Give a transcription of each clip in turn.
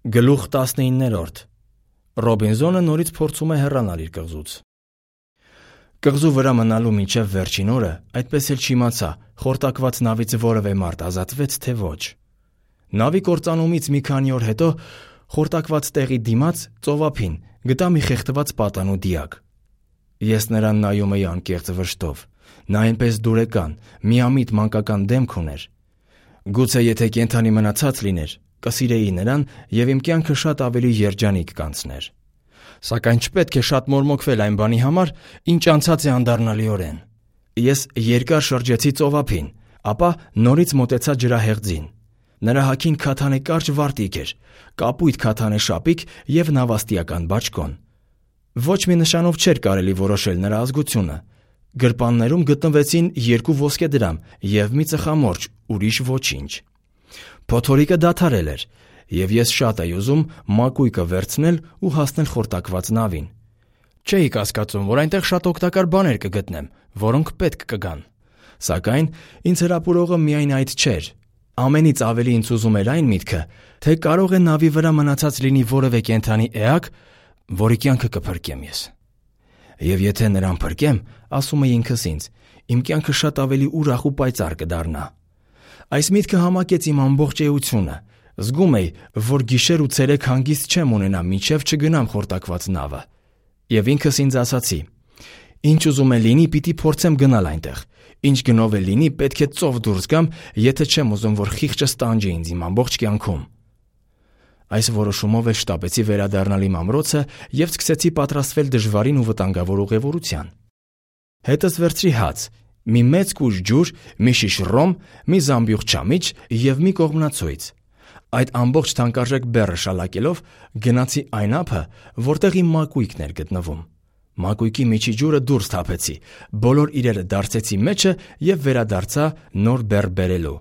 Գլուխ 19. Ռոբինզոնը նորից փորձում է հեռանալ իր կղզուց։ Կղզու վրա մնալու մինչև վերջին օրը այդպես էլ չիմացա խորտակված նավից որևէ մարդ ազատվեց, թե ոչ։ Նավի կործանումից մի քանի օր հետո խորտակված տեղի դիմաց ծովափին գտա մի խեղդված պատանու դիակ։ Ես նրան նայում էի անկեղծ վշտով։ Նա այնպես դուրեկան, միամիտ մանկական դեմք ուներ։ Գուցե եթե կենդանի մնացած լիներ, կսիրեի նրան և իմ կյանքը շատ ավելի երջանիկ կանցներ։ Սակայն չպետք է շատ մորմոքվել այն բանի համար, ինչ անցած է անդառնալիորեն։ Ես երկար շրջեցի ծովափին, ապա նորից մոտեցա ջրահեղձին։ Նրա հագին քաթանե կարճ վարտիք էր, կապույտ քաթանե շապիկ և նավաստիական բաճկոն։ Ոչ մի նշանով չէր կարելի որոշել նրա ազգությունը։ Գրպաններում գտնվեցին 2 ոսկեդրամ և մի ծխամորճ, ուրիշ ոչինչ։ Փոթորիկը դադարել էր, և ես շատ էի ուզում մակույկը վերցնել ու հասնել խորտակված նավին։ Չէի կասկածում, որ այնտեղ շատ օգտակար բաներ կգտնեմ, որոնք պետք կգան։ Սակայն ինձ հրապուրողը միայն այդ չէր։ Ամենից ավելի ինձ ուզում էր այն միտքը, թե կարող է նավի վրա մնացած լինի որևէ կենդանի էակ, որի կյանքը կփրկեմ ես։ Եվ եթե նրան փրկեմ, ասում էի ինքս ինձ, իմ կյանքը շատ ավելի ուրախ ու պայծառ կդառնա։ Այս միտքը համակեց իմ ամբողջ էությունը։ Զգում էի, որ գիշեր ու ցերեկ հանգիստ չեմ ունենա, մինչև չգնամ խորտակված նավը։ Եվ ինքս ինձ ասացի. ինչ ուզում է լինի, պիտի փորձեմ գնալ այնտեղ։ Ինչ գնով է լինի, պետք է ծով դուրս գամ, եթե չեմ ուզում, որ խիղճս տանջի ինձ իմ ամբողջ կյանքում։ Այս որոշումով էլ շտապեցի վերադառնալ իմ ամրոցը և սկսեցի պատրաստվել դժվարին ու վտանգավոր ուղևորության։ Հետս վերցրի հաց, մի մեծ կուժ ջուր, մի շիշ ռոմ, մի զամբյուղ չամիչ և մի կողմնացույց։ Այդ ամբողջ թանկարժեք բեռը շալակելով գնացի այն ափը, որտեղ իմ մակույկն էր գտնվում։ Մակույկի միջի ջուրը դուրս թափեցի, բոլոր իրերը դարձեցի մեջը և վերադարձա նոր բեռ բերելու։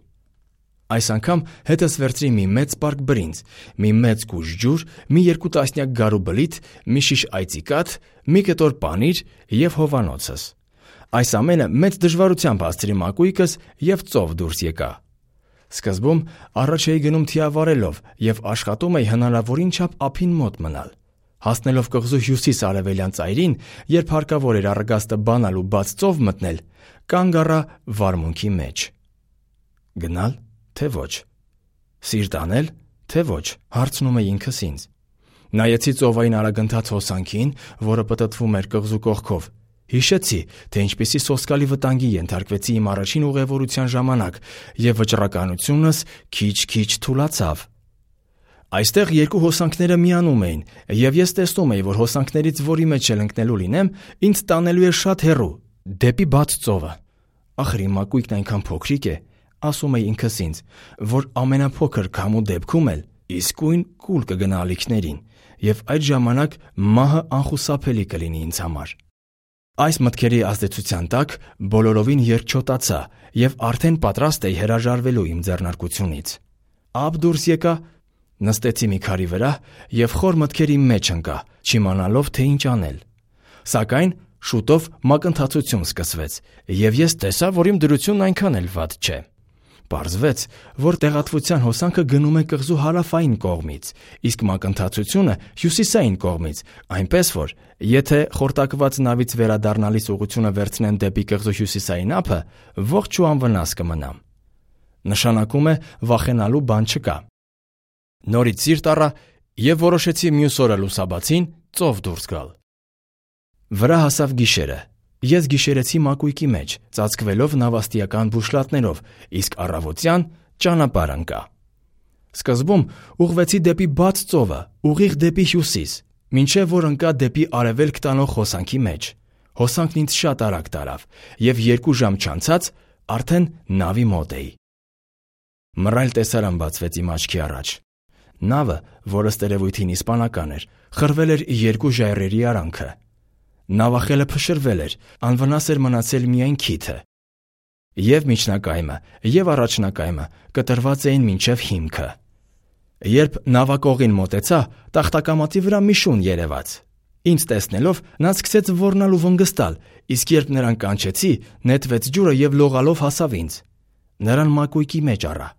Այս անգամ հետս վերցրի մի մեծ պարկ բրինձ, մի մեծ կուժ ջուր, մի 2 տասնյակ գարու բլիթ, մի շիշ այծիկաթ, մի կտոր պանիր և հովանոցս։ Այս ամենը մեծ դժվարությամբ հասցրի մակույկս և ծով դուրս եկա։ Սկզբում առաջ էի գնում թիավարելով և աշխատում էի հնարավորին չափ ափին մոտ մնալ։ Հասնելով կղզու հյուսիս-արևելյան ծայրին, երբ հարկավոր էր առագաստը բանալ ու բաց ծով մտնել, կանգ առա վարմունքի մեջ։ Գնալ, թե ոչ։ Սիրտ անել, թե ոչ, հարցնում էի ինքս ինձ։ Նայեցի ծովային արագընթաց հոսանքին, որը պտտվում էր կղզու կողքով։ Հիշեցի, թե ինչպիսի սոսկալի վտանգի ենթարկվեցի իմ առաջին ուղևորության ժամանակ, և վճռականությունս քիչ-քիչ թուլացավ։ Այստեղ 2 հոսանքները միանում էին, և ես տեսնում էի, որ հոսանքներից որի մեջ էլ ընկնելու լինեմ, ինձ տանելու է շատ հեռու, դեպի բաց ծովը։ Ախր իմ մակույկն այնքան փոքրիկ է, ասում էի ինքս ինձ, որ ամենափոքր քամու դեպքում էլ իսկույն կուլ կգնա ալիքներին, և այդ ժամանակ մահը անխուսափելի կլինի ինձ համար։ Այս մտքերի ազդեցության տակ բոլորովին երկչոտացա և արդեն պատրաստ էի հրաժարվելու իմ ձեռնարկությունից։ Ափ դուրս եկա, նստեցի մի քարի վրա և խոր մտքերի մեջ ընկա, չիմանալով, թե ինչ անել։ Սակայն շուտով մակընթացություն սկսվեց, և ես տեսա, որ իմ դրությունն այնքան էլ վատ չէ։ Պարզվեց, որ տեղատվության հոսանքը գնում է կղզու հարավային կողմից, իսկ մակընթացությունը հյուսիսային կողմից, այնպես որ, եթե խորտակված նավից վերադառնալիս ուղղությունը վերցնեմ դեպի կղզու հյուսիսային ափը, ողջ ու անվնաս կմնամ։ Նշանակում է վախենալու բան չկա։ Նորից սիրտ առա և որոշեցի մյուս օրը լուսաբացին ծով դուրս գալ։ Վրա հասավ գիշերը։ Ես գիշերեցի մակույկի մեջ, ծածկվելով նավաստիական բուշլատներով, իսկ առավոտյան ճանապարհ ընկա։ Սկզբում ուղղվեցի դեպի բաց ծովը, ուղիղ դեպի հյուսիս, մինչև որ ընկա դեպի արևելք տանող հոսանքի մեջ։ Հոսանքն ինձ շատ արագ տարավ, և 2 ժամ չանցած արդեն նավի մոտ էի։ Մռայլ տեսարան բացվեց իմ աչքի առաջ։ Նավը, որը ըստ երևույթին իսպանական էր, խրվել էր 2 ժայռերի արանքը։ Նավախելը փշրվել էր, անվնաս էր մնացել միայն քիթը։ Եվ միջնակայմը, և առաջնակայմը կտրված էին մինչև հիմքը։ Երբ նավակողին մոտեցա, տախտակամածի վրա մի շուն երևաց։ Ինձ տեսնելով նա սկսեց ոռնալ ու վնգստալ, իսկ երբ նրան կանչեցի, նետվեց ջուրը և լողալով հասավ ինձ։ Նրան մակույկի մեջ առա։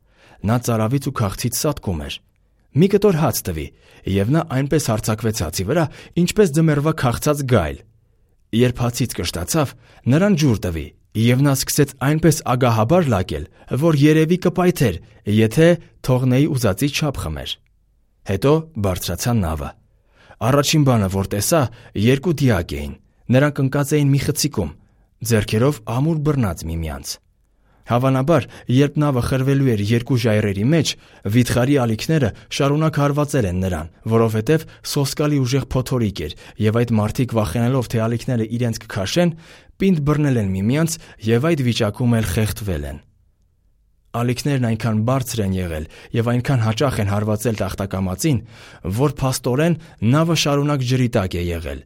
Նա ծարավից ու քաղցից սատկում էր։ մի կտոր հաց տվի, և նա այնպես հարձակվեց հացի վրա, ինչպես ձմեռվա քաղցած գայլ։ Երբ հացից կշտացավ, նրան ջուր տվի, և նա սկսեց այնպես ագահաբար լակել, որ երևի կպայթեր, եթե թողնեի ուզածի չափ խմեր։ Հետո բարձրացան նավը։ Առաջին բանը, որ տեսա, երկու դիակ էին, նրանք ընկած էին մի խցիկում, ձեռքերով ամուր բռնած միմյանց։ Հավանաբար, երբ նավը խրվելու էր երկու ժայռերի մեջ, վիթխարի ալիքները շարունակ հարվածել են նրան, որովհետև սոսկալի ուժեղ փոթորիկ էր, և այդ մարդիկ վախենալով, թե ալիքները իրենց կքաշեն, պինդ բռնել են միմյանց և այդ վիճակում էլ խեղդվել են։ Ալիքներն այնքան բարձր են եղել և այնքան հաճախ են հարվածել տախտակամածին, որ փաստորեն նավը շարունակ ջրի տակ է եղել,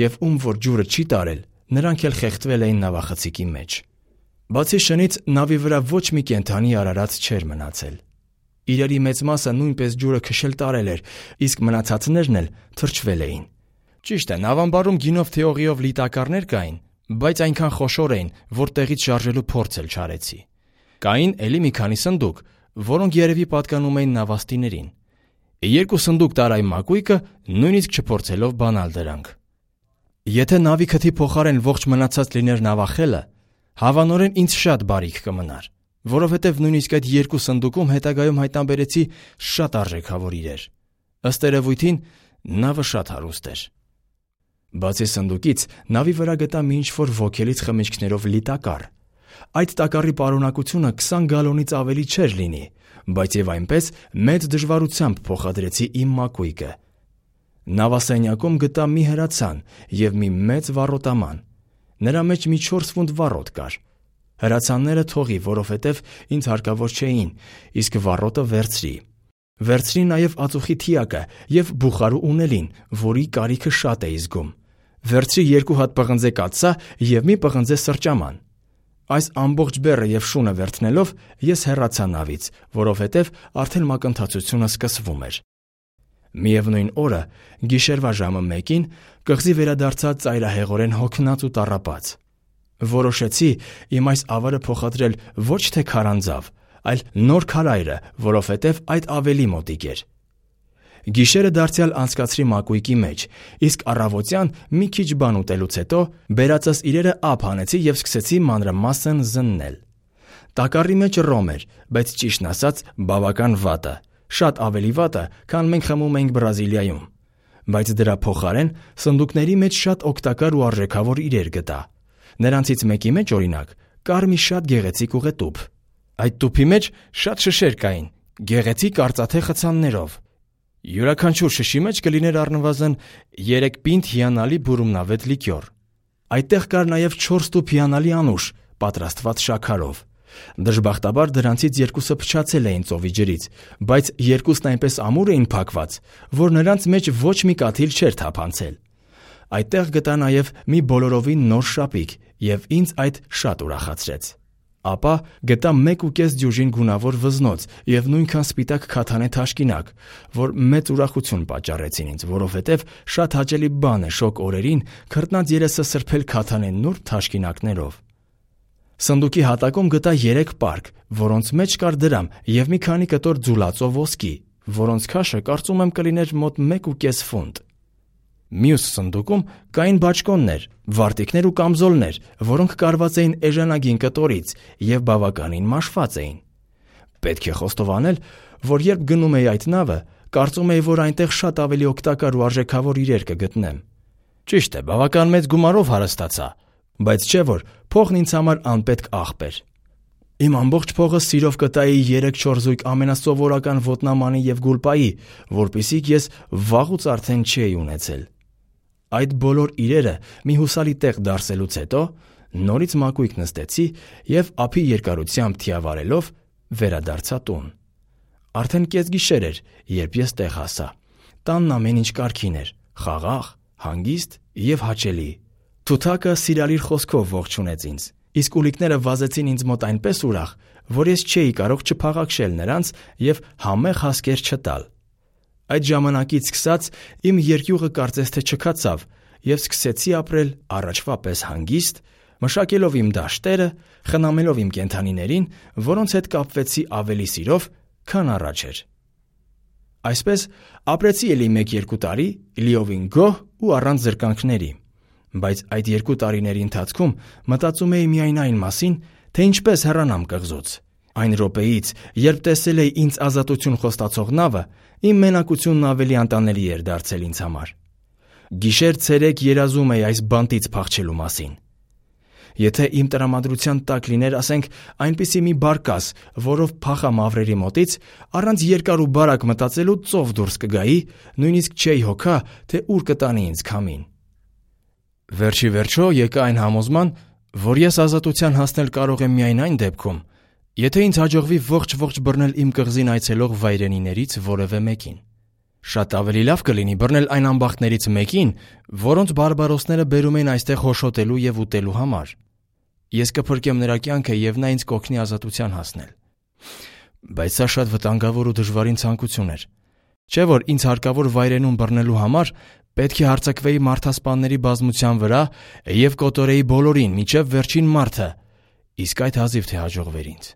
և ում որ ջուրը չի տարել, նրանք էլ խեղդվել էին նավախցիկի մեջ։ Բացի շնից, նավի վրա ոչ մի կենդանի արարած չէր մնացել։ Իրերի մեծ մասը նույնպես ջուրը քշել տարել էր, իսկ մնացածներն էլ թրջվել էին։ Ճիշտ է, նավամբարում գինով թե օղիով լի տակառներ կային, բայց այնքան խոշոր էին, որ տեղից շարժելու փորձ էլ չարեցի։ Կային էլի մի քանի սնդուկ, որոնք երևի պատկանում էին նավաստիներին։ Երկու սնդուկ տարայ մակույկը, նույնիսկ չփորձելով բանալ դրանք։ Եթե նավի քթի փոխարեն ողջ մնացած լիներ նավախելը, հավանորեն ինձ շատ բարիք կմնար, որովհետև նույնիսկ այդ երկու սնդուկում հետագայում հայտնաբերեցի շատ արժեքավոր իրեր։ Ըստ երևույթին, նավը շատ հարուստ էր։ Բացի սնդուկից, նավի վրա գտա մի ինչ-որ ոգելից խմիչքներով լի տակառ։ Այդ տակառի պարունակությունը 20 գալոնից ավելի չէր լինի, բայց եւ այնպես մեծ դժվարությամբ փոխադրեցի իմ մակույկը։ Նավասենյակում գտա մի հրացան և մի մեծ վառոտաման։ Նրա մեջ մի 4 ֆունտ վառոտ կար։ Հրացանները թողի, որովհետև ինձ հարկավոր չէին, իսկ վառոտը վերցրի։ Վերցրի նաև ածուխի թիակը և բուխարու ունելին, որի կարիքը շատ էի զգում։ Վերցրի 2 հատ պղնձե կաթսա և մի պղնձե սրճաման։ Այս ամբողջ բեռը և շունը վերցնելով ես հեռացա նավից, որովհետև արդեն մակընթացությունը սկսվում էր։ Միևնույն օրը, գիշերվա ժամը 1-ին, կղզի վերադարձա ծայրահեղորեն հոգնած ու տառապած։ Որոշեցի իմ այս ավարը փոխադրել ոչ թե քարանձավ, այլ նոր քարայրը, որովհետև այդ ավելի մոտիկ էր։ Գիշերը դարձյալ անցկացրի մակույկի մեջ, իսկ առավոտյան մի քիչ բան ուտելուց հետո բերածս իրերը ափ հանեցի և սկսեցի մանրամասն զննել։ Տակառի մեջ ռոմ էր, բայց ճիշտն ասած բավական վատը, շատ ավելի վատը, քան մենք խմում էինք Բրազիլիայում։ Բայց դրա փոխարեն սնդուկների մեջ շատ օգտակար ու արժեքավոր իրեր գտա։ Նրանցից մեկի մեջ, օրինակ, կար մի շատ գեղեցիկ ուղետուփ։ Այդ տուփի մեջ շատ շշեր կային, գեղեցիկ արծաթե խցաններով։ Յուրաքանչյուր շշի մեջ կլիներ առնվազն 3 պինդ հիանալի բուրումնավետ լիկյոր։ Այդտեղ կար նաև 4 տուփ հիանալի անուշ, պատրաստված շաքարով։ Դժբախտաբար դրանցից 2-ը փչացել էին ծովի ջրից, բայց 2-ն այնպես ամուր էին փակված, որ նրանց մեջ ոչ մի կաթիլ չէր թափանցել։ Այդտեղ գտա նաև մի բոլորովին նոր շապիկ և ինձ այդ շատ ուրախացրեց։ Ապա գտա 1.5 դյուժին գունավոր վզնոց և նույնքան սպիտակ քաթանե թաշկինակ, որ մեծ ուրախություն պատճառեցին ինձ, որովհետև շատ հաճելի բան է շոգ օրերին քրտնած երեսը սրբել քաթանե նուրբ թաշկինակներով։ Սնդուկի հատակում գտա 3 պարկ, որոնց մեջ կար դրամ և մի քանի կտոր ձուլածո ոսկի, որոնց քաշը կարծում եմ կլիներ մոտ 1.5 ֆունտ։ Մյուս սնդուկում կային բաճկոններ, վարտիքներ ու կամզոլներ, որոնք կարված էին էժանագին կտորից և բավականին մաշված էին։ Պետք է խոստովանել, որ երբ գնում էի այդ նավը, կարծում էի, որ այնտեղ շատ ավելի օգտակար ու արժեքավոր իրեր կգտնեմ։ Ճիշտ է, բավական մեծ գումարով հարստացա, բայց չէ որ փողն ինձ համար անպետք աղբ էր։ Իմ ամբողջ փողը սիրով կտայի 3-4 զույգ ամենասովորական ոտնամանի և գուլպայի, որպեսզի ես վաղուց արդեն չէի ունեցել։ Այդ բոլոր իրերը մի հուսալի տեղ դարսելուց հետո նորից մակույկ նստեցի և ափի երկարությամբ թիավարելով վերադարձա տուն։ Արդեն կեսգիշեր էր, երբ ես տեղ հասա։ Տանն ամեն ինչ կարգին էր, խաղաղ, հանգիստ և հաճելի։ Թութակը սիրալիր խոսքով ողջունեց ինձ, իսկ ուլիկները վազեցին ինձ մոտ այնպես ուրախ, որ ես չէի կարող չփաղաքշել նրանց և համեղ հասկեր չտալ։ Այդ ժամանակից սկսած իմ երկյուղը կարծես թե չքացավ և սկսեցի ապրել առաջվա պես հանգիստ, մշակելով իմ դաշտերը, խնամելով իմ կենդանիներին, որոնց հետ կապվեցի ավելի սիրով, քան առաջ էր։ Այսպես ապրեցի էլի 1-2 տարի, լիովին գոհ ու առանց զրկանքների, բայց այդ 2 տարիների ընթացքում մտածում էի միայն այն մասին, թե ինչպես հեռանամ կղզուց։ Այն րոպեից, երբ տեսել էի ինձ ազատություն խոստացող նավը, իմ մենակությունն ավելի անտանելի էր դարձել ինձ համար։ Գիշեր-ցերեկ երազում էի այս բանտից փախչելու մասին։ Եթե իմ տրամադրության տակ լիներ, ասենք, այնպիսի մի բարկաս, որով փախամ ավրերի մոտից, առանց երկար ու բարակ մտածելու ծով դուրս կգայի, նույնիսկ չէի հոգա, թե ուր կտանի ինձ քամին։ Վերջի վերջո եկա այն համոզման, որ ես ազատության հասնել կարող եմ միայն այն դեպքում, եթե ինձ հաջողվի ողջ բռնել իմ կղզին այցելող վայրենիներից որևէ մեկին։ Շատ ավելի լավ կլինի բռնել այն ամբախտներից մեկին, որոնց բարբարոսները բերում են այստեղ հոշոտելու եւ ուտելու համար։ Ես կփրկեմ նրա կյանքը եւ նա ինձ կօգնի ազատության հասնել։ Բայց սա շատ վտանգավոր ու դժվարին ցանկություն էր։ Չէ՞ որ ինձ հարկավոր վայրենուն բռնելու համար պետք է հարձակվեի մարդասպանների բազմության վրա եւ կոտորեի բոլորին, մինչեւ վերջին մարդը, իսկ այդ հազիվ թե հաջողվեր ինձ։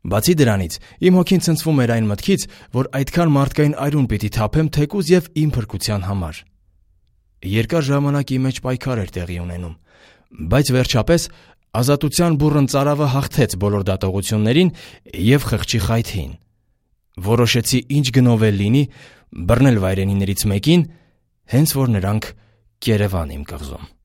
Բացի դրանից, իմ հոգին ցնցվում էր այն մտքից, որ այդքան մարդկային այրուն պիտի թափեմ թեկուզ եւ իմ փրկության համար։ Երկար ժամանակ իմ մեջ պայքար էր տեղի ունենում, բայց վերջապես ազատության բուռն ծարավը հաղթեց բոլոր դատողություններին եւ խղճի խայթին։ Որոշեցի ինչ գնով էլ լինի բռնել վայրենիներից մեկին, հենց որ նրանք կերևան իմ կղզում։